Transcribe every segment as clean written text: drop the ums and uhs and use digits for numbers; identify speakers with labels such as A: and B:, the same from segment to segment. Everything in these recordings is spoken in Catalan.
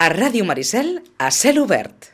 A: A Ràdio Maricel, a cel obert.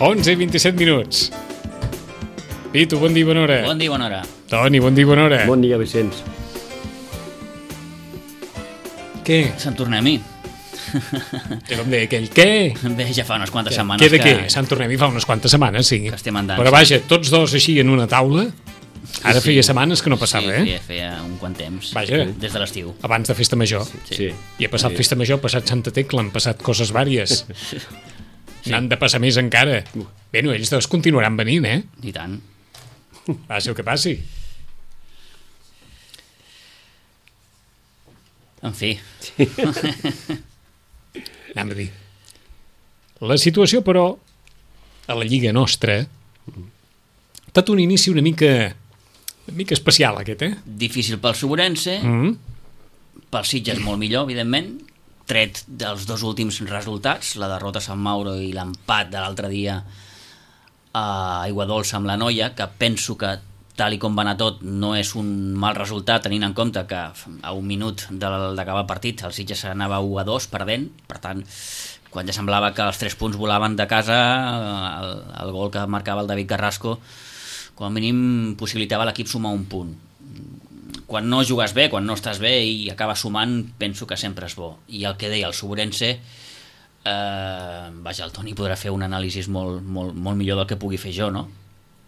B: Onze i 27 minuts. Pitu, bon dia, bona hora.
C: Bon dia, bona hora.
B: Toni, bon dia, bona hora.
D: Bon dia, Vicenç.
B: Què?
C: Sant Tornem-hi.
B: Que com deia aquell, què?
C: Bé, ja fa unes quantes setmanes
B: Què de què? Sant Tornem-hi fa unes quantes setmanes, sí.
C: Que estem andant.
B: Però vaja, tots dos així en una taula. Ara feia setmanes que no passava,
C: sí, feia un quant temps.
B: Vaja.
C: Des de l'estiu.
B: Abans de Festa Major.
D: Sí.
B: I ha passat Festa Major, ha passat Santa Tecla, han passat coses vàries. N'han de passar més encara. Bé, no, ells dos continuaran venint,
C: I tant.
B: Passi el que passi.
C: En fi.
B: Anem a dir. La situació, però, a la Lliga nostra, ha estat un inici una mica especial, aquest,
C: Difícil pel Sobrense, pel Sitges molt millor, evidentment, tret dels dos últims resultats, la derrota a Sant Mauro i l'empat de l'altre dia a Aiguadolça amb la Noia, que penso que, tal i com va anar tot, no és un mal resultat, tenint en compte que a un minut d'acabar el partit el Sitges anava 1-2 perdent, per tant, quan ja semblava que els 3 punts volaven de casa, el gol que marcava el David Carrasco, com a mínim possibilitava a l'equip sumar un punt. Quan no jugues bé, quan no estàs bé i acabes sumant, penso que sempre és bo. I el que deia el Sobrense, vaja, el Toni podrà fer un anàlisi molt millor del que pugui fer jo, no?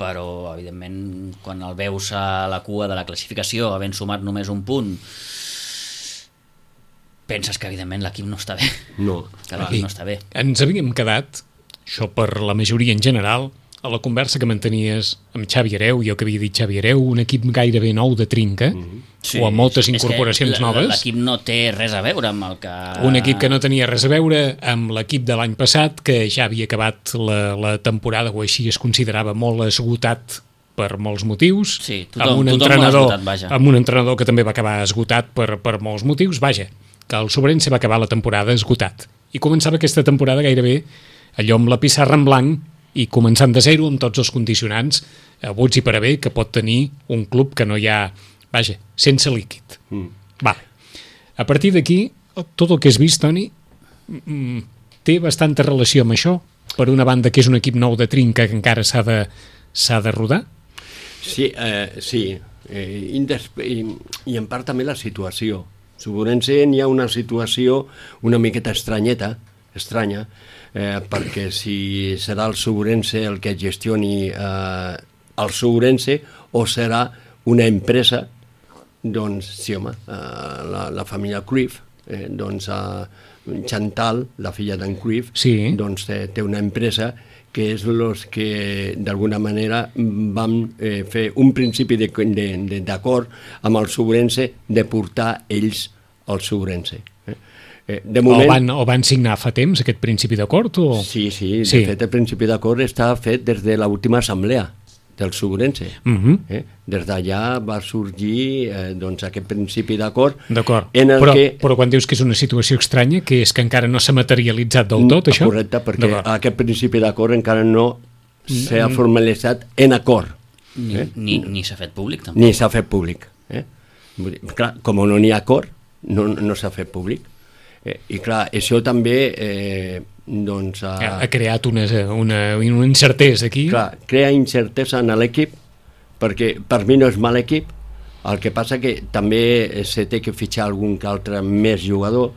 C: Però, evidentment, quan el veus a la cua de la classificació, havent sumat només un punt, penses que, evidentment, l'equip no està bé.
D: No.
C: Que l'equip no està bé.
B: Ens havíem quedat, això per la majoria en general, a la conversa que mantenies amb Xavi Hereu, jo que havia dit Xavi Hereu, un equip gairebé nou de trinca, o amb moltes incorporacions noves.
C: L'equip no té res a veure amb el que...
B: Un equip que no tenia res a veure amb l'equip de l'any passat, que ja havia acabat la temporada, o així es considerava molt esgotat per molts motius,
C: sí, tothom esgotat, vaja.
B: Amb un entrenador que també va acabar esgotat per molts motius, vaja, que el Sobrense va acabar la temporada esgotat. I començava aquesta temporada gairebé allò amb la pissarra en blanc, i començant de zero amb tots els condicionants abuts i per haver que pot tenir un club que no hi ha, vaja, sense líquid. Vale. A partir d'aquí, tot el que has vist, Toni, té bastanta relació amb això? Per una banda, que és un equip nou de trinca que encara s'ha de rodar?
D: Sí, i en part també la situació. Sobrense hi ha una situació una miqueta estranya, perquè si serà el Sobrense el que gestioni el Sobrense o serà una empresa, doncs sí, home, la família Cruyff, doncs Chantal, la filla d'en Cruyff,
B: sí.
D: Doncs té una empresa que és els que d'alguna manera van fer un principi d'acord amb el Sobrense de portar ells al Sobrense. De moment...
B: o van signar fa temps aquest principi d'acord? O...
D: Sí, de fet el principi d'acord està fet des de l'última assemblea del Sobrense. Des d'allà va sorgir doncs, aquest principi d'acord.
B: D'acord,
D: que...
B: però quan dius que és una situació estranya, que és que encara no s'ha materialitzat del tot, això?
D: Correcte, perquè aquest principi d'acord encara no s'ha formalitzat en acord.
C: Ni s'ha fet públic, tampoc.
D: Ni s'ha fet públic. Clar, com no n'hi ha acord, no s'ha fet públic. I clar, això també doncs,
B: ha creat una incertesa aquí.
D: Clar, crea incertesa en l'equip perquè per mi no és mal equip, el que passa que també se té que fitxar algun que altre més jugador,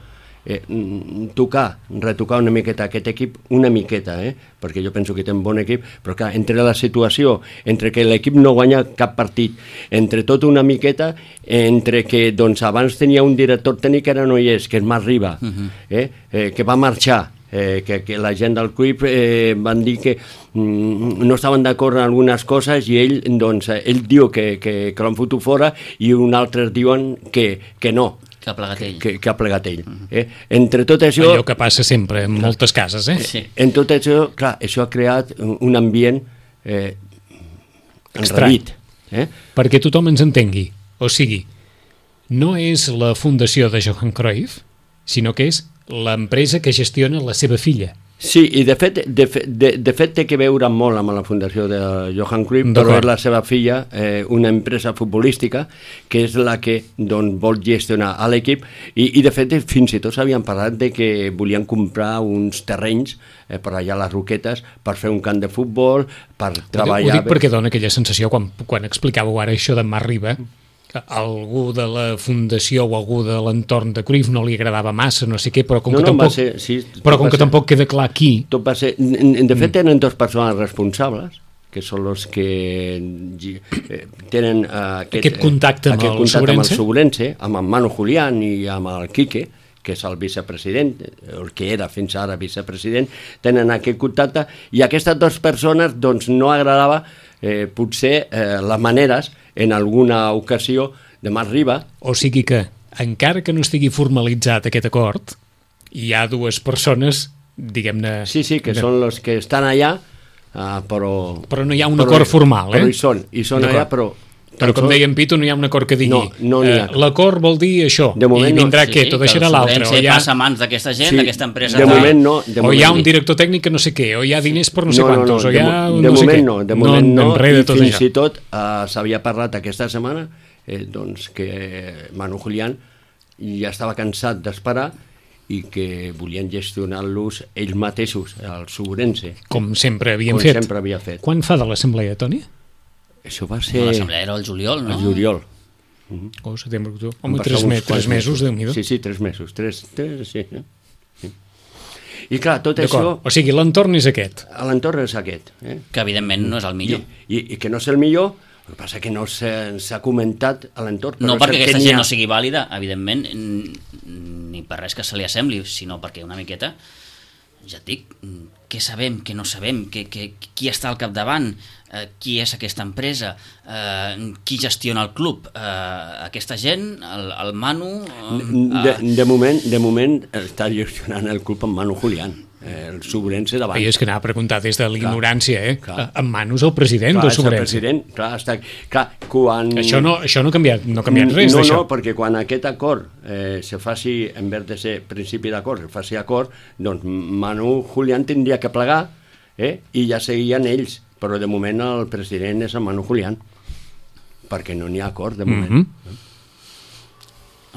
D: retocar una miqueta aquest equip, una miqueta, perquè jo penso que té un bon equip, però clar, entre la situació, entre que l'equip no guanya cap partit, entre tot una miqueta, entre que doncs, abans tenia un director tècnic que ara no hi és, que és Marc Riba, que va marxar, que la gent del club van dir que no estaven d'acord en algunes coses i ell, doncs, ell diu que l'han fotut fora i uns altres diuen que no,
C: que ha plegat ell.
D: Que ha plegat ell. Entre tot això...
B: Allò que passa sempre en moltes cases,
C: Sí.
D: En tot això, clar, això ha creat un ambient enrarit.
B: Perquè tothom ens entengui. O sigui, no és la fundació de Johan Cruyff, sinó que és l'empresa que gestiona la seva filla.
D: Sí, i de fet té que veure molt amb la fundació de Johan Cruyff, però és la seva filla, una empresa futbolística, que és la que doncs, vol gestionar a l'equip, i de fet fins i tot s'havien parlat de que volien comprar uns terrenys per allà a les Roquetes per fer un camp de futbol, per treballar...
B: Ho dic perquè dona aquella sensació, quan explicàveu ara això de Marc Riba, que algú de la fundació o algú de l'entorn de Cruyff no li agradava massa, no sé què, però com que tampoc queda clar qui...
D: Tot va ser... De fet, tenen dues persones responsables, que són els que tenen
B: aquest contacte amb el
D: Sobrense, amb en Manu Julián i amb el Quique, que és el vicepresident, el que era fins ara vicepresident, tenen aquest contacte, i aquestes dues persones doncs, no agradava potser les maneres en alguna ocasió de Marc Riba.
B: O sigui que, encara que no estigui formalitzat aquest acord, hi ha dues persones, diguem-ne...
D: Sí, que són els que estan allà, però
B: no hi ha un acord formal,
D: Però hi són allà, però
B: com deia en Pito, no hi ha un acord que digui
D: no
B: l'acord vol dir això, i vindrà què? Tot deixarà l'altre.
C: O ja passa a mans d'aquesta gent, d'aquesta empresa.
D: De moment no.
B: O hi ha un director tècnic que no sé què, o hi ha diners per no sé quantos, o hi ha
D: de moment no,
B: i
D: fins i tot s'havia parlat aquesta setmana doncs que Manu Julián ja estava cansat d'esperar i que volien gestionar-los ells mateixos, el Sobrense.
B: Com sempre havien fet. Quan fa de l'assemblea, Toni?
D: Això va ser...
C: L'assemblea era el juliol, no?
D: El juliol.
B: Setembre, octubre... Home, 3 mesos, Déu-n'hi-do.
D: Sí, 3 mesos. 3, sí. I clar, tot això...
B: O sigui, l'entorn és aquest.
D: L'entorn és aquest.
C: Que evidentment no és el millor.
D: I que no és el millor, el que passa que no s'ha comentat a l'entorn.
C: No perquè aquesta gent no sigui vàlida, evidentment, ni per res que se li assembli, sinó perquè una miqueta, ja et dic, què sabem, què no sabem, qui està al capdavant, qui és aquesta empresa, qui gestiona el club, aquesta gent, el Manu...
D: De moment està gestionant el club amb Manu Julián, el Sobrense davant.
B: I és que anava a preguntar des de l'ignorància, en Manu és el president del Sobrense.
D: Clar, quan...
B: Això no ha canviat res d'això.
D: No, perquè quan aquest acord se faci, en vez de ser principi d'acord, se faci acord, doncs Manu Julián tindria que plegar i ja seguien ells, però de moment el president és en Manu Julián, perquè no n'hi ha acord de moment.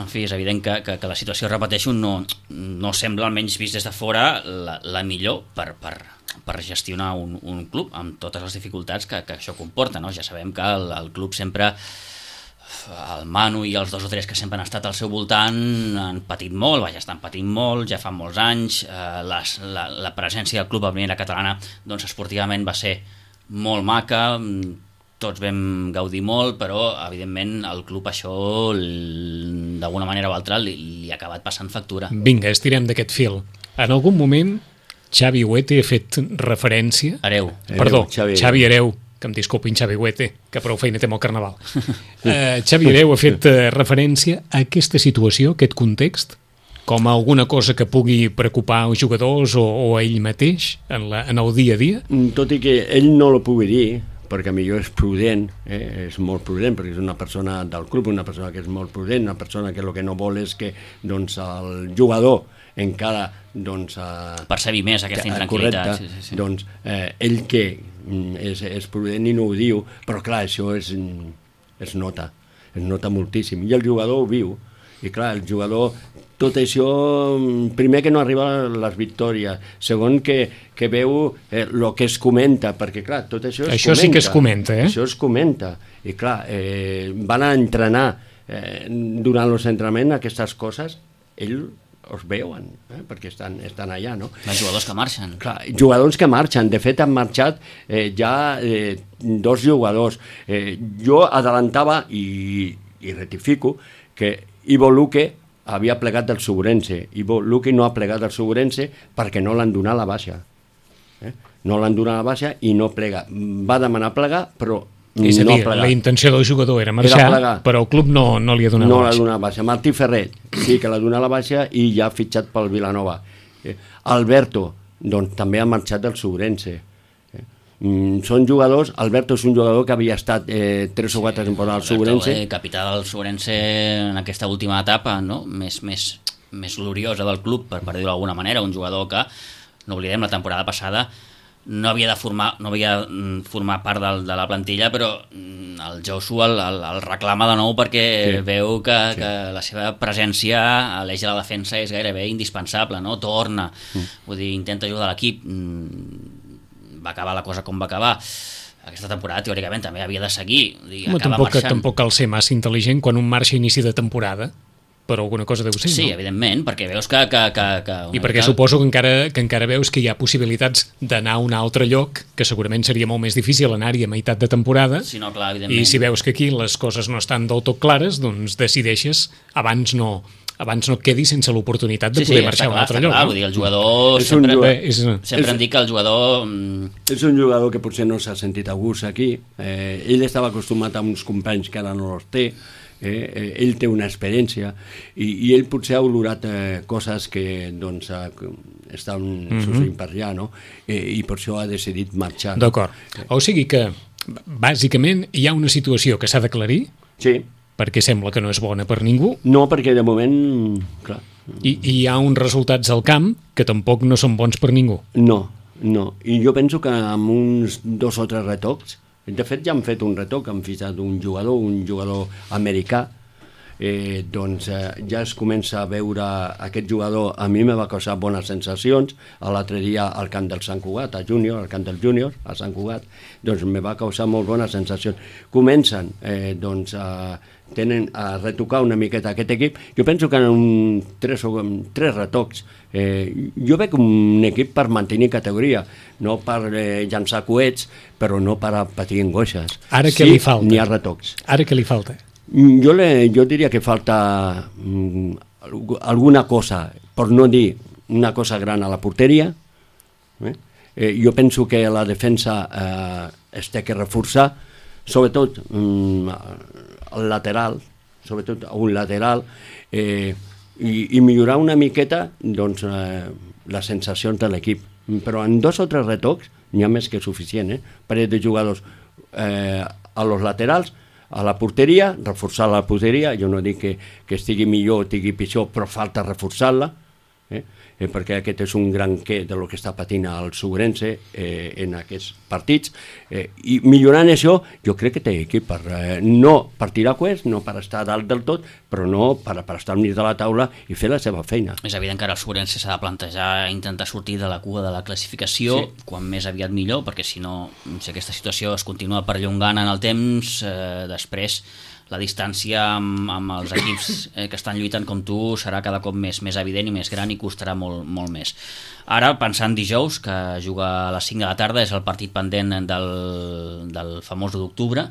C: En fi, és evident que la situació, repeteixo, no sembla, almenys vist des de fora, la millor per gestionar un club, amb totes les dificultats que això comporta, no? Ja sabem que el club sempre, el Manu i els 2 o 3 que sempre han estat al seu voltant han patit molt, estan patint molt, ja fa molts anys, la presència del club a primera catalana doncs esportivament va ser molt maca, tots vam gaudir molt, però evidentment el club això d'alguna manera o altra li ha acabat passant factura.
B: Vinga, estirem d'aquest fil. En algun moment Xavi Huete ha fet referència... Xavi Hereu, que em disculpin Xavi Huete, que prou feina té amb el Carnaval. Xavi Hereu ha fet referència a aquesta situació, aquest context, com a alguna cosa que pugui preocupar els jugadors o a ell mateix en el dia a dia?
D: Tot i que ell no lo pugui dir, perquè millor és prudent, és molt prudent, perquè és una persona del club, una persona que és molt prudent, una persona que el que no vol és que doncs, el jugador encara doncs,
C: percebi més aquesta intranquil·litat.
D: Correcte, sí. Doncs ell que és prudent i no ho diu, però clar, això es nota moltíssim, i el jugador ho viu, I clar, el jugador, tot això, primer que no arriba a les victòries, segon que veu el que es comenta, perquè clar, tot això es
B: això
D: comenta.
B: Sí que es comenta,
D: Això es comenta. I clar, van a entrenar durant els entrenaments aquestes coses, ells els veuen, perquè estan allà, no?
C: Els jugadors que marxen.
D: Clar, jugadors que marxen. De fet, han marxat ja 2 jugadors. Jo adelantava i rectifico que Ivo Luque havia plegat del Segurense. Ivo Luque no ha plegat del Segurense perquè no l'han donat la baixa. No l'han donat la baixa i no plega. Va demanar plegar, però
B: és a dir, la intenció del jugador era marxar, però el club no li ha donat la baixa.
D: No l'ha donat la baixa. Martí Ferrer sí que l'ha donat la baixa i ja ha fitxat pel Vilanova. Alberto, doncs també ha marxat del Segurense. Són jugadors, Alberto és un jugador que havia estat 3 o 4 temporades al Segurense.
C: Capità del Segurense en aquesta última etapa, no? més gloriosa del club, per dir-ho d'alguna manera, un jugador que, no oblidem, la temporada passada no havia formar part de la plantilla, però el Josu el reclama de nou perquè veu que la seva presència a l'eix de la defensa és gairebé indispensable, no? Torna, vull dir, intenta ajudar l'equip. Va acabar la cosa com va acabar. Aquesta temporada, teòricament, també havia de seguir.
B: Tampoc cal ser massa intel·ligent quan un marxa a inici de temporada, però alguna cosa deu ser,
C: sí,
B: no?
C: Evidentment, perquè veus que
B: I perquè suposo que encara veus que hi ha possibilitats d'anar a un altre lloc, que segurament seria molt més difícil anar-hi a meitat de temporada,
C: sí, no, clar, evidentment.
B: I si veus que aquí les coses no estan del tot clares, doncs decideixes abans no et quedis sense l'oportunitat de poder marxar a un altre lloc.
C: Vull dir, el jugador... Sempre han dit que el jugador...
D: És un jugador que potser no s'ha sentit a gust aquí. Ell estava acostumat a uns companys que ara no els té. Ell té una experiència i ell potser ha olorat coses que doncs estan succeint per allà, no? I per això ha decidit marxar.
B: D'acord. O sigui que bàsicament hi ha una situació que s'ha d'aclarir,
D: sí,
B: perquè sembla que no és bona per ningú.
D: No, perquè de moment, clar.
B: I hi ha uns resultats al camp que tampoc no són bons per ningú.
D: No. I jo penso que amb uns 2 o 3 retocs, de fet ja han fet un retoc, han fitxat un jugador americà, doncs ja es comença a veure aquest jugador. A mi me va causar bones sensacions l'altre dia al camp del Sant Cugat, al camp del Júnior, a Sant Cugat, doncs me va causar molt bones sensacions. Comencen doncs a retocar una miqueta aquest equip. Jo penso que en 3 retocs jo veig un equip per mantenir categoria, no per llançar coets, però no per patir angoixes.
B: Ara què li falta?
D: N'hi ha retocs.
B: Ara què li falta?
D: Jo diria que falta alguna cosa, per no dir una cosa gran a la porteria. Jo penso que la defensa es té que reforçar, sobretot el lateral, sobretot un lateral, i millorar una miqueta doncs, les sensacions de l'equip. Però en 2 o 3 retocs n'hi ha més que suficient, parell de jugadors a los laterals, a la porteria, reforçar la porteria. Jo no dic que estigui millor o estigui pitjor, però falta reforçar-la, perquè aquest és un gran què de lo que està patint el Segurense en aquests partits, i millorant això jo crec que té equip no per tirar coets, no per estar dalt del tot, però no per estar al mig de la taula i fer la seva feina.
C: És evident que ara el Segurense s'ha de plantejar intentar sortir de la cua de la classificació, sí, quan més aviat millor, perquè si no, si aquesta situació es continua perllongant en el temps, després la distància amb els equips que estan lluitant com tu serà cada cop més evident i més gran i costarà molt més. Ara, pensant dijous, que juga a les 5 de la tarda, és el partit pendent del famós d'octubre,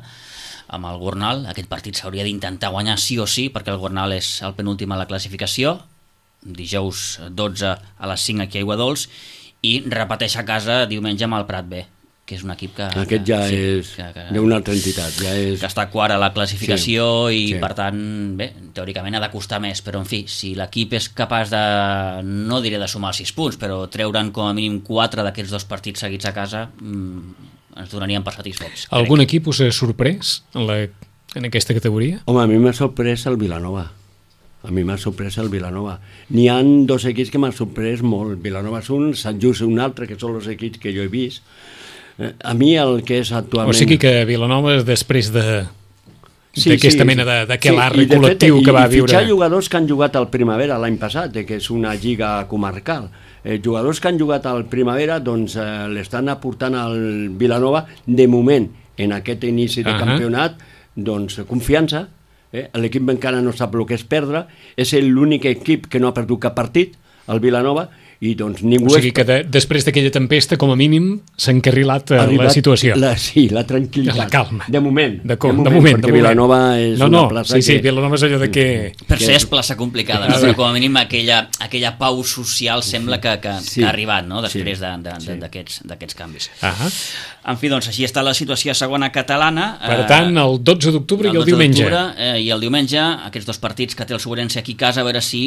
C: amb el Gornal. Aquest partit s'hauria d'intentar guanyar sí o sí, perquè el Gornal és el penúltim a la classificació. Dijous 12 a les 5 aquí a Aiguadols, i repeteix a casa diumenge amb el Prat B, que és un equip que...
D: Aquest ja és d'una altra entitat.
C: Que està quart a la classificació, sí, i per tant, bé, teòricament ha de costar més, però en fi, si l'equip és capaç de, no diré de sumar 6 punts, però treure'n com a mínim 4 d'aquests 2 partits seguits a casa, ens donarien per satisfets.
B: Algun equip us ha sorprès en aquesta categoria?
D: Home, a mi m'ha sorprès el Vilanova. N'hi ha 2 equips que m'han sorprès molt. Vilanova és un, Sant Just un altre, que són els equips que jo he vist. A mi el que és actualment...
B: O sigui que Vilanova, després de d'aquesta mena d'aquelarre col·lectiu que va viure.
D: I fitxar jugadors que han jugat al Primavera l'any passat, que és una lliga comarcal. Jugadors que han jugat al Primavera doncs l'estan aportant al Vilanova de moment en aquest inici de campionat doncs confiança. L'equip encara no sap el que és perdre, és l'únic equip que no ha perdut cap partit, el Vilanova, i doncs ningú...
B: O sigui que després d'aquella tempesta, com a mínim, s'ha encarrilat la situació.
D: Sí, la tranquil·litat.
B: La calma.
D: De moment.
B: Perquè
D: Vilanova és una plaça que...
B: Sí, Vilanova és allò de que...
C: Per ser és plaça complicada, no? Però com a mínim aquella pau social sembla que ha arribat, no? Després d'aquests canvis. En fi, doncs així està la situació a segona catalana.
B: Per tant, el 12 d'octubre i el diumenge.
C: I el diumenge, aquests dos partits que té el Sobrense aquí a casa, a veure si,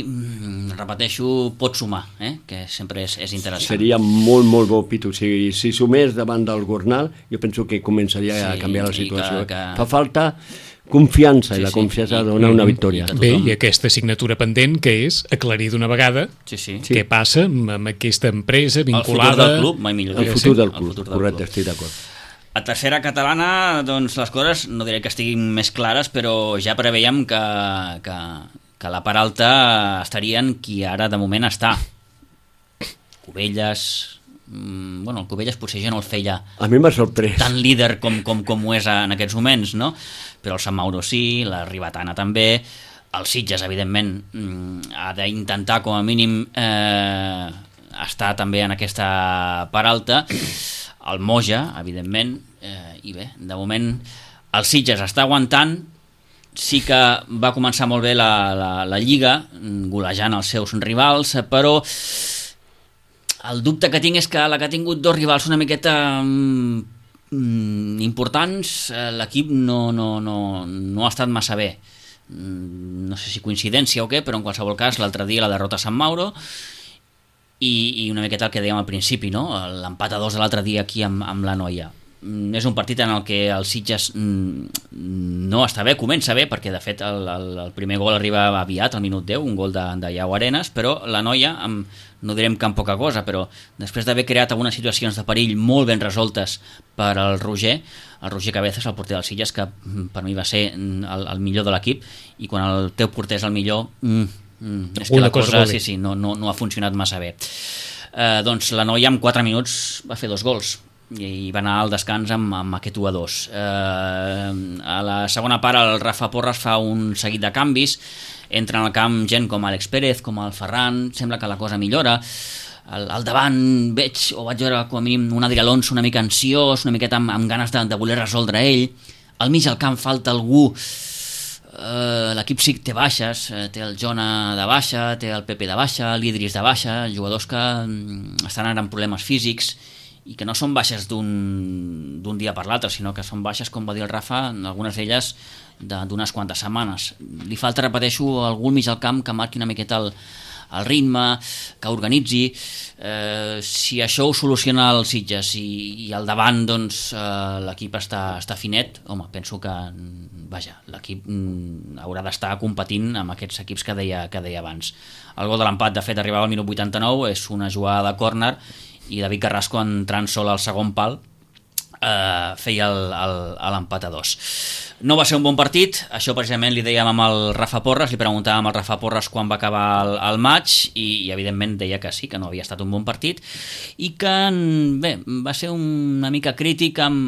C: repeteixo, pot sumar, que sempre és interessant.
D: Seria molt, molt bo, Pitu. Si sumés davant del Gornal, jo penso que començaria a canviar la situació. Fa falta confiança, i la confiança dona una victòria.
B: Bé, i aquesta assignatura pendent, que és aclarir d'una vegada què passa amb aquesta empresa vinculada...
C: El futur del club, mai millor.
D: El futur del club, correcte, estic d'acord.
C: A tercera catalana, doncs les coses no diré que estiguin més clares, però ja preveiem que la part alta estarien qui ara de moment està. Cubelles... Bueno, el Cubelles potser ja no el feia
D: a mi m'ha sorprès
C: tan líder com ho és en aquests moments, no? Però el Sant Mauro sí, la Ribetana també, el Sitges evidentment ha d'intentar com a mínim estar també en aquesta part alta, el Moja evidentment, i bé, de moment el Sitges està aguantant. Sí que va començar molt bé la Lliga, golejant els seus rivals, però el dubte que tinc és que la que ha tingut dos rivals una miqueta importants, l'equip no ha estat massa bé. No sé si coincidència o què, però en qualsevol cas l'altre dia la derrota a Sant Mauro i una miqueta el que dèiem al principi, no? L'empat a 2 de l'altre dia aquí amb la Noia. És un partit en el que el Sitges no està bé, comença bé, perquè de fet el primer gol arriba aviat, al minut 10, un gol de Iau Arenas, però la Noia, no direm que amb poca cosa, però després d'haver creat algunes situacions de perill molt ben resoltes per al Roger Cabezas, el porter del Sitges, que per mi va ser el millor de l'equip, i quan el teu porter és el millor, és que la cosa no ha funcionat massa bé. Doncs la Noia en 4 minuts va fer 2 gols, i va anar al descans amb aquest 1-2. A la segona part el Rafa Porras fa un seguit de canvis, entra en el camp gent com Àlex Pérez, com el Ferran, sembla que la cosa millora. Al davant vaig veure com a mínim un Adri Alonso una mica ansiós, una miqueta amb ganes de voler resoldre ell. Al mig del camp falta algú. L'equip sí que té baixes, té el Jona de baixa, té el Pepe de baixa, l'Idris de baixa, jugadors que estan ara amb problemes físics i que no són baixes d'un dia per l'altre, sinó que són baixes, com va dir el Rafa, algunes d'elles d'unes quantes setmanes. Li falta, repeteixo, algú al mig del camp que marqui una miqueta el ritme, que organitzi. Si això ho soluciona el Sitges i al davant doncs, l'equip està finet, home, penso que l'equip haurà d'estar competint amb aquests equips que deia abans. El gol de l'empat, de fet, arribava al minut 89, és una jugada de córner, i David Carrasco, entrant sol al segon pal, feia l'empat a 2. No va ser un bon partit, això precisament li dèiem amb el Rafa Porras, li preguntàvem al Rafa Porras quan va acabar el maig, i evidentment deia que sí, que no havia estat un bon partit, i que bé, va ser una mica crític amb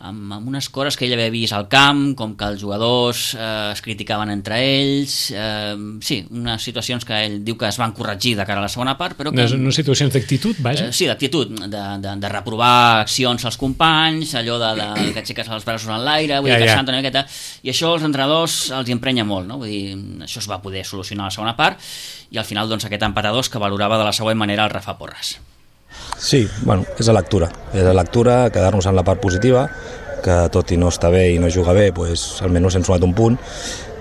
C: unes coses que ell havia vist al camp, com que els jugadors es criticaven entre ells, sí, unes situacions que ell diu que es van corregir de cara a la segona part, però que...
B: Unes situacions d'actitud, vaja?
C: Sí, d'actitud, de reprovar accions als companys, allò que aixeques els braços en l'aire, vull dir, queixant una miqueta, i això als entrenadors els emprenya molt, no? Vull dir, això es va poder solucionar a la segona part, i al final, doncs, aquest empat a 2 que valorava de la següent manera el Rafa Porras.
E: Sí, bueno, és la lectura, quedar-nos en la part positiva, que tot i no estar bé i no jugar bé, pues, almenys hem sumat un punt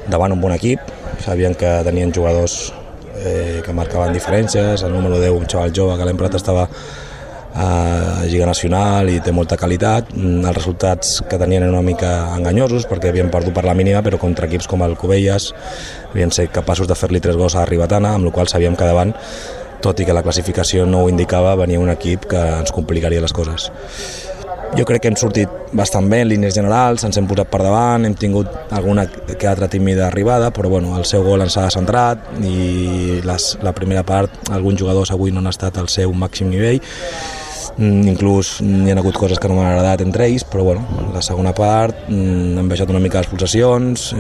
E: davant un bon equip. Sabien que tenien jugadors que marcaven diferències, el número 10, un xaval jove que l'any passat estava a Lliga Nacional i té molta qualitat. Els resultats que tenien eren una mica enganyosos perquè havien perdut per la mínima, però contra equips com el Cubelles havien set capaços de fer-li 3 gols a Ribetana, amb la qual sabíem que davant, tot i que la classificació no ho indicava, venia un equip que ens complicaria les coses. Jo crec que hem sortit bastant bé en línies generals, ens hem posat per davant, hem tingut alguna que altra tímida arribada, però bueno, el seu gol ens ha centrat i la primera part, alguns jugadors avui no han estat al seu màxim nivell, inclús hi ha hagut coses que no m'han agradat entre ells, però bueno, la segona part hem baixat una mica les pulsacions,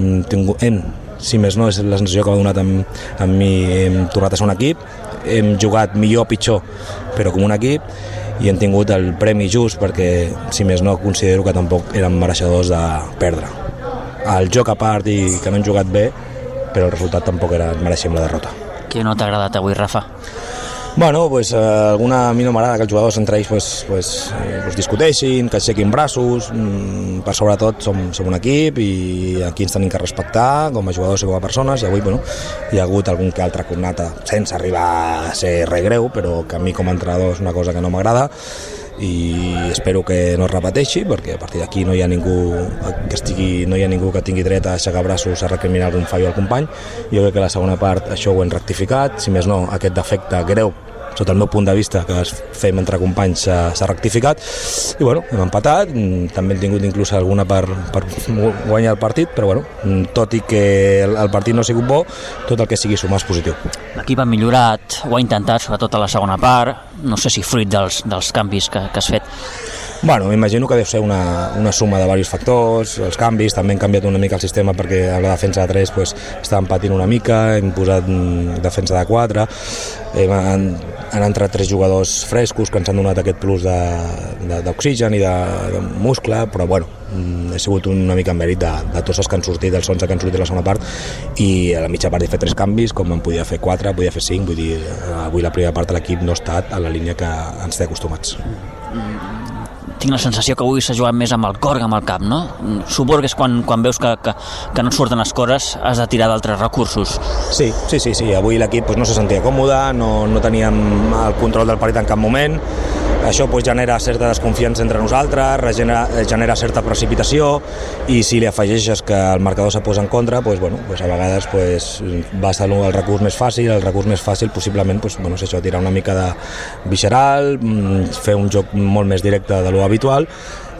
E: si més no és la sensació que m'ha donat amb mi, hem tornat a ser un equip, hem jugat millor o pitjor, però com un equip, i hem tingut el premi just perquè, si més no, considero que tampoc eren mereixedors de perdre. El joc a part i que no han jugat bé, però el resultat tampoc mereixem la derrota.
C: Què no t'ha agradat avui, Rafa?
E: Bueno, pues, a mi no m'agrada que els jugadors entre ells discuteixin, que aixequin braços, per sobretot som un equip i aquí ens tenim que respectar com a jugadors i com a persones, i avui hi ha hagut algun que altre cornata sense arribar a ser res greu, però que a mi com a entrenador és una cosa que no m'agrada i espero que no es repeteixi, perquè a partir d'aquí no hi ha ningú que tingui dret a aixecar braços a recriminar algun fallo al company. Jo crec que la segona part això ho hem rectificat, si més no aquest defecte greu sota el meu punt de vista que fem entre companys s'ha rectificat i bueno, hem empatat, també hem tingut inclús alguna per guanyar el partit, però bueno, tot i que el partit no ha sigut bo, tot el que sigui sumar és positiu.
C: L'equip ha millorat, ho ha intentat sobretot a la segona part, no sé si fruit dels canvis que has fet.
E: Bueno, m'imagino que deu ser una suma de diversos factors, els canvis, també hem canviat una mica el sistema perquè a la defensa de 3 estàvem patint una mica, hem posat defensa de 4, han entrat 3 jugadors frescos que ens han donat aquest plus d'oxigen i de muscle, però bueno, ha sigut una mica en mèrit de tots els que han sortit, dels 11 que han sortit a la segona part, i a la mitja part he fet 3 canvis, com en podia fer 4, podia fer 5, vull dir, avui la primera part de l'equip no ha estat a la línia que ens té acostumats.
C: Tinc la sensació que avui s'ha jugat més amb el cor que amb el cap, no? Suposo que és quan veus que no et surten les coses, has de tirar d'altres recursos.
E: Sí, avui l'equip no se sentia còmode, no teníem el control del partit en cap moment, això genera certa desconfiança entre nosaltres, genera certa precipitació, i si li afegeixes que el marcador se posa en contra, a vegades vas al recurs més fàcil, el recurs més fàcil possiblement és això, tirar una mica de visceral, fer un joc molt més directe de lo habitual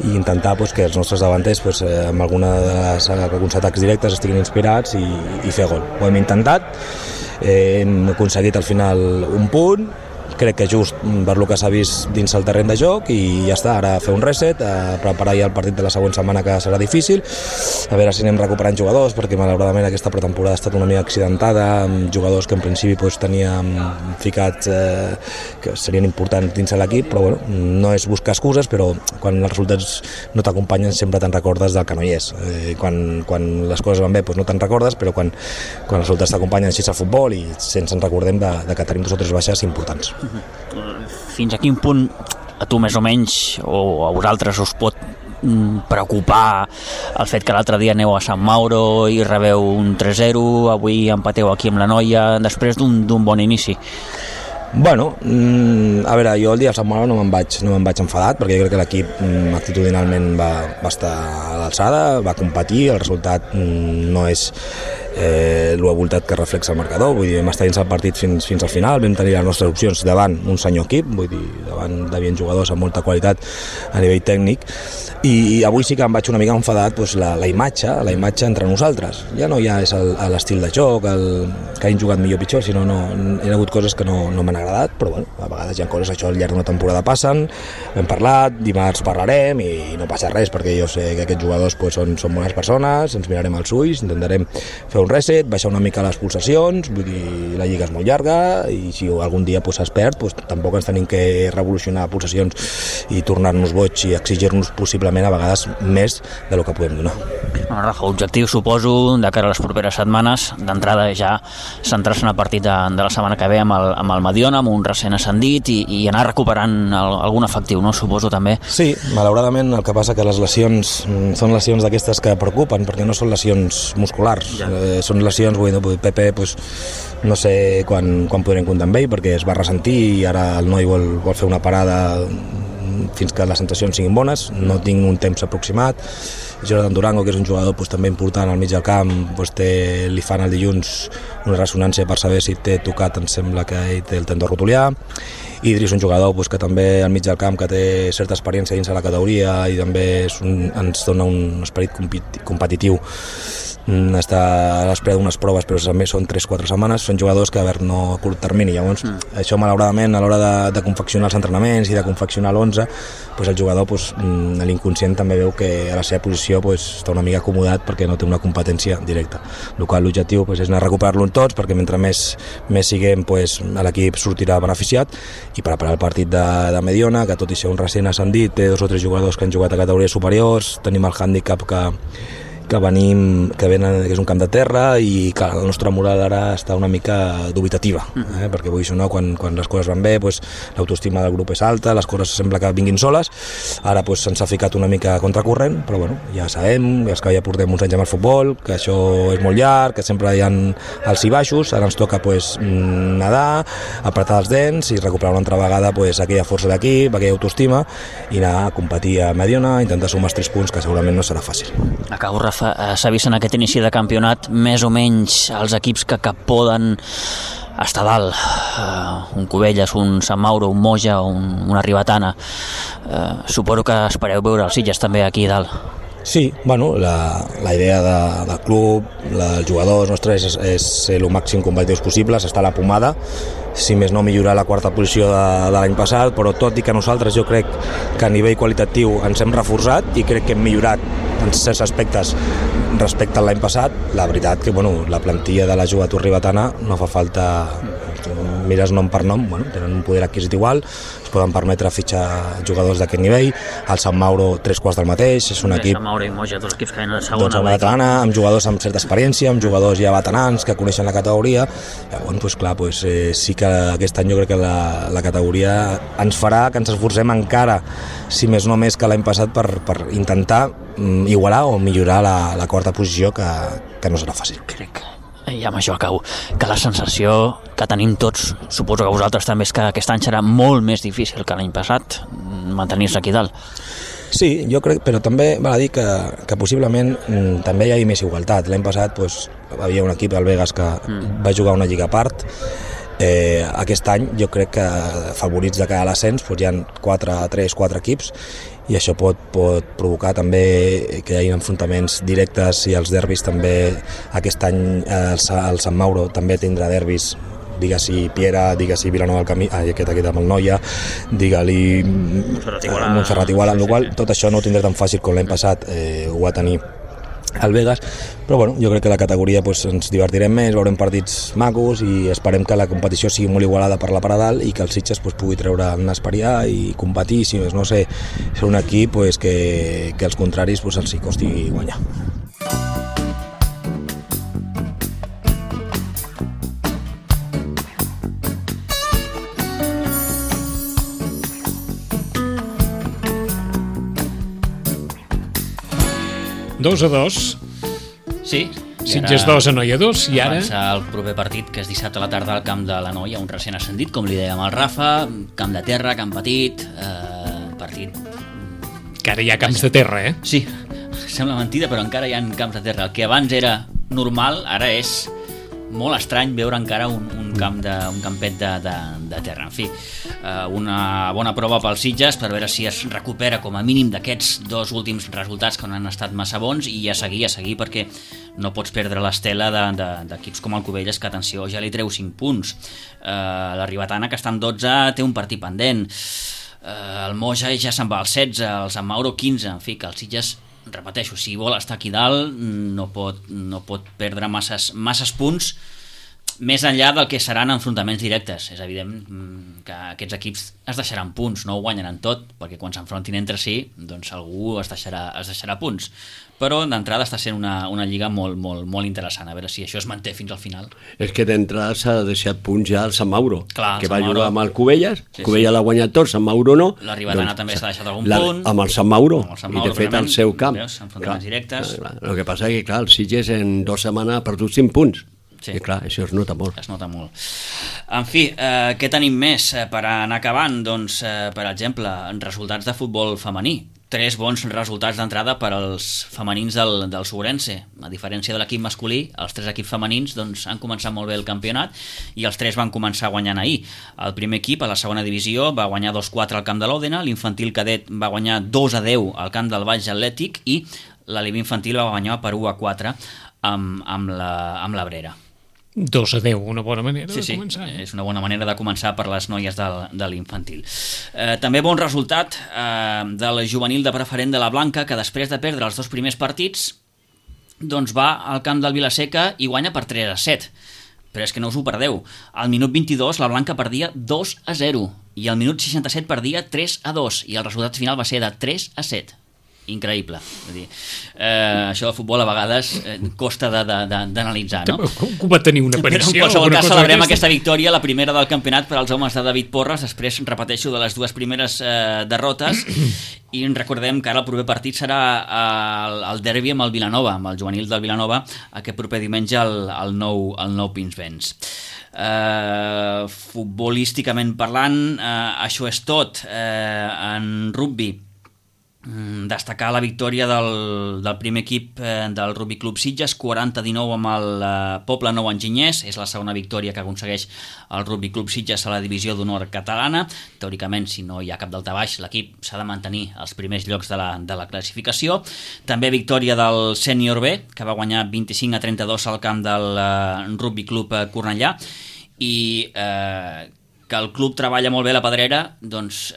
E: i intentar que els nostres davanters amb alguns atacs directes estiguin inspirats i fer gol. Ho hem intentat, hem aconseguit al final un punt, crec que just per lo que s'ha vist dins el terreny de joc, i ja està, ara fer un reset, preparar ja el partit de la següent setmana, que serà difícil, a veure si anem recuperant jugadors, perquè malauradament aquesta pretemporada ha estat una mica accidentada, amb jugadors que en principi teníem ficats que serien importants dins de l'equip, però bueno, no és buscar excuses, però quan els resultats no t'acompanyen sempre te'n recordes del que no hi és. Quan les coses van bé no te'n recordes, però quan els resultats t'acompanyen així al futbol i sense ens recordem de que tenim 2 o 3 baixes importants.
C: Fins a quin punt a tu més o menys o a vosaltres us pot preocupar el fet que l'altre dia aneu a Sant Mauro i rebeu un 3-0, avui empateu aquí amb la Noia després d'un bon inici?
E: Bueno, a veure, jo el dia de Sant Mauro no me'n vaig enfadat, perquè jo crec que l'equip actitudinalment va estar a l'alçada, va competir, el resultat no és la voluntat que reflexa el marcador, vull dir, hem estat dins el partit fins al final, vam tenir les nostres opcions davant un senyor equip, vull dir, davant d'havien jugadors amb molta qualitat a nivell tècnic, i avui sí que em vaig una mica enfadat la imatge entre nosaltres, ja no ja és l'estil de joc, que hagin jugat millor o pitjor, sinó hi ha hagut coses que no m'han agradat, però bueno, a vegades hi ha coses, això al llarg d'una temporada passen, hem parlat, dimarts parlarem i no passa res, perquè jo sé que aquests jugadors són bones persones, ens mirarem als ulls, intentarem fer un reset, baixar una mica les pulsacions, vull dir, la lliga és molt llarga i si algun dia es perd, tampoc ens tenim que revolucionar pulsacions i tornar-nos boig i exigir-nos possiblement a vegades més de lo que podem donar.
C: Bueno, Rafa, objectiu suposo de cara a les properes setmanes, d'entrada ja centrar-se en el partit de la setmana que ve amb el Mediona, amb un recent ascendit i anar recuperant algun efectiu, no? Suposo també.
E: Sí, malauradament el que passa que les lesions són lesions d'aquestes que preocupen, perquè no són lesions musculars, són lesions, Pepe no sé quan podrem comptar amb ell, perquè es va ressentir i ara el noi vol fer una parada fins que les sensacions siguin bones, no tinc un temps aproximat Jordan Durango, que és un jugador també important al mig del camp, li fan el dilluns una ressonància per saber si té tocat, em sembla que ell té el tendó rotulià. Idris, un jugador que també al mig del camp, que té certa experiència dins de la categoria i també ens dona un esperit competitiu. Està a l'espera d'unes proves, però també són 3-4 setmanes. Són jugadors que no a curt termini. Llavors, això malauradament a l'hora de confeccionar els entrenaments i de confeccionar l'11, el jugador l'inconscient també veu que a la seva posició està una mica acomodat perquè no té una competència directa. L'objectiu és anar a recuperar-lo tots, perquè mentre més siguem l'equip sortirà beneficiat, i preparar el partit de Mediona, que tot i ser un recent ascendit té 2 o 3 jugadors que han jugat a categories superiors. Tenim el hàndicap que és un camp de terra i que la nostra moral ara està una mica dubitativa, perquè quan les coses van bé l'autoestima del grup és alta, les coses sembla que vinguin soles. Ara se'ns ha ficat una mica contracorrent, però ja sabem, els que ja portem uns anys amb el futbol, que això és molt llarg, que sempre hi ha alts i baixos. Ara ens toca nedar, apretar els dents i recuperar una altra vegada aquella força d'equip, aquella autoestima, i anar a competir a Mediona, intentar sumar els 3 punts, que segurament no serà fàcil.
C: Acabo, Rafa. S'ha vist en aquest inici de campionat més o menys els equips que poden estar dalt, un Cubelles, un Sant Mauro, un Moja, una Ribetana. Suposo que espereu veure els Sitges també aquí dalt.
E: Sí, la idea del club, dels jugadors nostres és ser el màxim competitius possibles, estar a la pomada, si més no millorar la 4ª posició de l'any passat, però tot i que nosaltres jo crec que a nivell qualitatiu ens hem reforçat i crec que hem millorat en certs aspectes respecte a l'any passat. La veritat que la plantilla de la joventut ribetana no fa falta, mires nom per nom, tenen un poder adquisitiu alt, es poden permetre fitxar jugadors d'aquest nivell. El Sant Mauro 3/4 del mateix, és un equip
C: Sant Mauro i Moja, 2 equips que venen a la segona
E: catalana, amb jugadors amb certa experiència, amb jugadors ja veterans que coneixen la categoria. Llavors, sí que aquest any jo crec que la categoria ens farà que ens esforcem encara, si més no més que l'any passat, per intentar igualar o millorar la 4ª posició, que no serà fàcil.
C: Crec, i amb això acabo, que la sensació que tenim tots, suposo que vosaltres també, és que aquest any serà molt més difícil que l'any passat mantenir-se aquí dalt.
E: Sí, jo crec, però també val a dir que possiblement també hi ha més igualtat. L'any passat havia un equip, el Vegas, que va jugar una lliga a part. Aquest any jo crec que favorits de cara a l'ascens hi ha 3-4 equips, i això pot provocar també que hi hagi enfrontaments directes, i els derbis també. Aquest any el Sant Mauro també tindrà derbis, digue-s'hi Piera, digue-s'hi Vilanova del Camí, aquest amb el Noia, digue-li Montserrat Iguala, amb la qual tot això no ho tindrà tan fàcil com l'any passat ho va tenir el Vegas, però jo crec que la categoria ens divertirem més, veurem partits macos i esperem que la competició sigui molt igualada per la part de dalt i que el Sitges pugui treure el nas per allà i competir, si no sé, ser un equip que als contraris els hi costi guanyar.
B: Dos a dos.
C: Sí.
B: Sitges 2, Anoia 2, i ara...
C: Avança el proper partit, que és dissabte a la tarda al camp de l'Anoia, un recent ascendit, com li dèiem al Rafa, camp de terra, camp petit, partit...
B: Que ara hi ha camps de terra, eh?
C: Sí, sembla mentida, però encara hi ha camps de terra. El que abans era normal, ara és molt estrany veure encara un campet de terra. En fi, una bona prova pels Sitges per veure si es recupera com a mínim d'aquests 2 últims resultats que no han estat massa bons, i a seguir, perquè no pots perdre l'estela d'equips com el Cubelles, que, atenció, ja li treu 5 punts. La Ribetana, que està en 12, té un partit pendent. El Moja ja se'n va al 16, el Sant Mauro 15, en fi, que el Sitges, repeteixo, si vol estar aquí dalt no pot perdre masses punts, més enllà del que seran enfrontaments directes. És evident que aquests equips es deixaran punts, no ho guanyaran tot, perquè quan s'enfrontin entre si, doncs algú es deixarà punts. Però d'entrada està sent una lliga molt, molt, molt interessant, a veure si això es manté fins al final.
D: És que d'entrada s'ha deixat punts ja al Sant Mauro,
C: clar,
D: que va jugar amb el Cubelles, Cubelles l'ha guanyat tot, Sant Mauro no.
C: La Ribetana també s'ha deixat algun punt.
D: Amb el Sant Mauro, i de fet al seu camp.
C: Enfrontaments directes.
D: El que passa és que, clar, el Sitges en 2 setmanes ha perdut 5 punts. Sí. I clar, això es nota molt.
C: Es nota molt. En fi, què tenim més per anar acabant? Doncs, per exemple, resultats de futbol femení. 3 bons resultats d'entrada per als femenins del Sobrense. A diferència de l'equip masculí, els 3 equips femenins doncs, han començat molt bé el campionat i els 3 van començar guanyant ahir. El primer equip, a la segona divisió, va guanyar 2-4 al camp de l'Òdena, l'infantil cadet va guanyar 2-10 al camp del Baix Atlètic i l'Alivi infantil va guanyar per 1-4 amb l'Abrera.
B: 2-10, una bona manera de començar.
C: Sí, és una bona manera de començar per les noies de l'infantil. També bon resultat del juvenil de preferent de la Blanca, que després de perdre els 2 primers partits doncs va al camp del Vilaseca i guanya per 3-7. Però és que no us ho perdeu. Al minut 22 la Blanca perdia 2-0 i al minut 67 perdia 3-2 i el resultat final va ser de 3-7. Increïble. Vull dir, això del futbol a vegades costa d'analitzar, no?
B: Com va tenir una aparició?
C: Però en qualsevol cas celebrem aquesta victòria, la primera del campionat per als homes de David Porres, després repeteixo de les 2 primeres derrotes, i recordem que ara el proper partit serà el derbi amb el Vilanova, amb el juvenil del Vilanova, aquest proper diumenge al nou Pinsbens. Futbolísticament parlant, això és tot. En rugby, destacar la victòria del primer equip del Rugby Club Sitges, 40-19 amb el Poble Nou Enginyers. És la segona victòria que aconsegueix el Rugby Club Sitges a la divisió d'honor catalana. Teòricament, si no hi ha cap daltabaix, l'equip s'ha de mantenir als primers llocs de la classificació. També victòria del Sènior B, que va guanyar 25-32 al camp del Rugby Club Cornellà, i que el club treballa molt bé la pedrera, doncs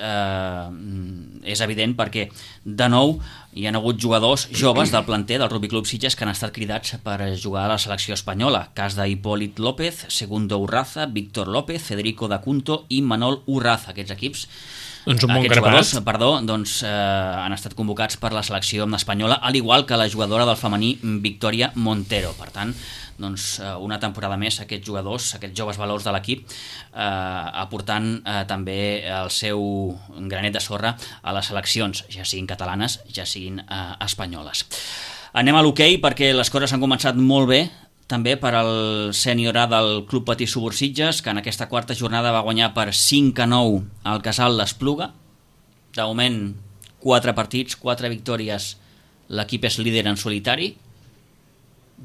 C: és evident, perquè de nou hi ha hagut jugadors joves del planter del Rugby Club Sitges que han estat cridats per jugar a la selecció espanyola. Cas d'Hipòlit López, Segundo Urraza, Víctor López, Federico Dacunto i Manol Urraza. Aquests equips, aquests jugadors, doncs, han estat convocats per la selecció espanyola, al igual que la jugadora del femení Victoria Montero. Per tant, doncs, una temporada més aquests jugadors, aquests joves valors de l'equip, aportant també el seu granet de sorra a les seleccions, ja siguin catalanes, ja siguin espanyoles. Anem a l'hoquei, perquè les coses han començat molt bé també per al sènior A del Club Patí Subursitges, que en aquesta quarta jornada va guanyar per 5-9 al Casal l'Espluga. De moment, 4 partits, 4 victòries, l'equip és líder en solitari.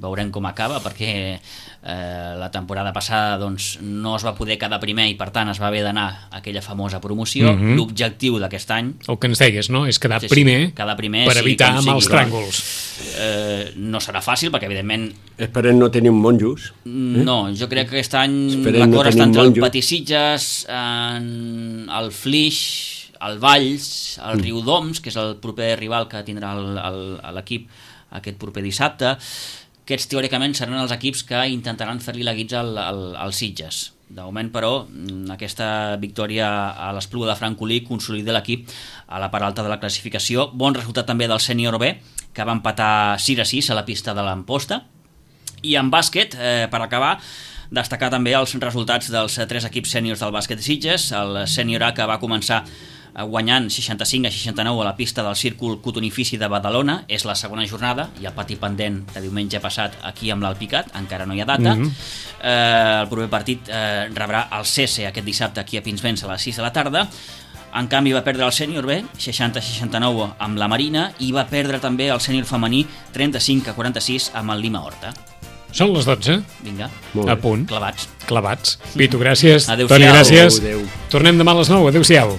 C: Veurem com acaba, perquè la temporada passada doncs, no es va poder quedar primer i per tant es va haver d'anar a aquella famosa promoció. L'objectiu d'aquest any,
B: el que ens deies, no? És quedar primer per evitar amb els tràngols.
C: No serà fàcil, perquè evidentment
D: esperem no tenir un monjos.
C: No, jo crec que aquest any la cosa està entre el Patí Sitges, el Flix, el Valls, el Riudoms, que és el proper rival que tindrà l'equip aquest proper dissabte. Aquests teòricament seran els equips que intentaran fer-li la guitza als Sitges. De moment, però, aquesta victòria a l'Espluga de Francolí consolida l'equip a la part alta de la classificació. Bon resultat també del Sènior B, que va empatar 6-6 a la pista de l'Amposta. I en bàsquet, per acabar, destacar també els resultats dels 3 equips sèniors del bàsquet de Sitges. El Sènior A, que va començar guanyant 65-69 a la pista del Círcul Cotonifici de Badalona, és la segona jornada, i el pati pendent de diumenge passat aquí amb l'Alpicat, encara no hi ha data. El proper partit rebrà el CESE aquest dissabte aquí a Pinsbens a les 6 de la tarda. En canvi va perdre el sènior B 60-69 amb la Marina, i va perdre també el sènior femení 35-46 amb el Lima Horta.
B: Són les 12.
C: Vinga,
B: a punt.
C: clavats.
B: Clavats. Pitu, gràcies.
C: Adéu-siau.
B: Toni, gràcies.
D: Adéu.
B: Tornem demà a les 9. Adéu-siau.